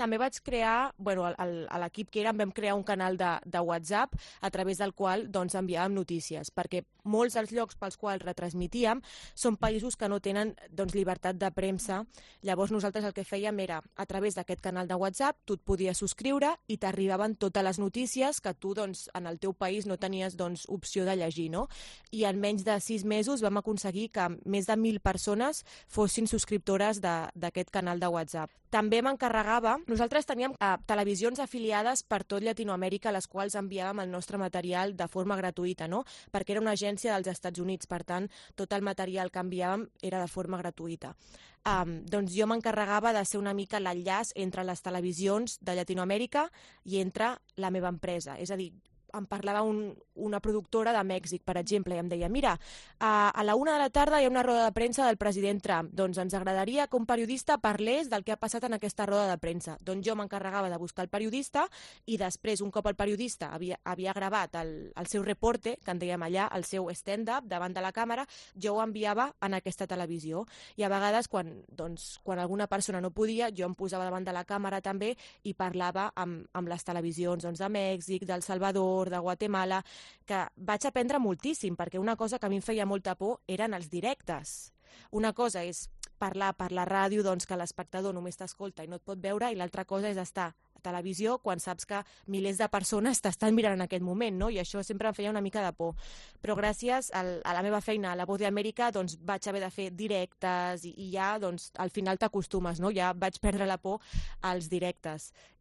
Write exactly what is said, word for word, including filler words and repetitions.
també vaig crear, bueno, el- el- a l'equip que érem vam crear un canal de, de WhatsApp a través del qual doncs, enviàvem notícies, perquè molts dels llocs pels quals retransmitíem són països que no tenen doncs, llibertat de premsa. Llavors nosaltres el que fèiem era, a través d'aquest canal de WhatsApp, tu et podies subscriure i t'arribaven totes les notícies que tu doncs, en el teu país no tenies doncs, opció de llegir, no? I en menys de sis mesos vam aconseguir que més de mil persones fossin subscriptores de- d'aquest canal de WhatsApp. També m'encarregava, nosaltres teníem eh, televisions afiliades per tot Llatinoamèrica a les quals enviàvem el nostre material de forma gratuïta, no? Perquè era una agència dels Estats Units, per tant, tot el material que enviàvem era de forma gratuïta. Um, doncs jo m'encarregava de ser una mica l'enllaç entre les televisions de Llatinoamèrica i entre la meva empresa. És a dir, em parlava un, una productora de Mèxic, per exemple, i em deia, mira, a, a la una de la tarda hi ha una roda de premsa del president Trump, doncs ens agradaria que un periodista parlés del que ha passat en aquesta roda de premsa. Doncs jo m'encarregava de buscar el periodista i després, un cop el periodista havia, havia gravat el, el seu reporte, que en dèiem allà, el seu stand-up davant de la càmera, jo ho enviava en aquesta televisió. I a vegades, quan, doncs, quan alguna persona no podia, jo em posava davant de la càmera també i parlava amb, amb les televisions doncs, de Mèxic, del Salvador, de Guatemala, que vaig aprendre moltíssim, perquè una cosa que a mi em feia molta por eren els directes. Una cosa és parlar per la ràdio, doncs que l'espectador només t'escolta i no et pot veure, i l'altra cosa és estar a televisió quan saps que milers de persones t'estan mirant en aquest moment, no? I això sempre em feia una mica de por. Però gràcies al, a la meva feina a la Voz de Amèrica doncs, vaig haver de fer directes i, i ja doncs, al final t'acostumes, no? Ja vaig perdre la por als directes.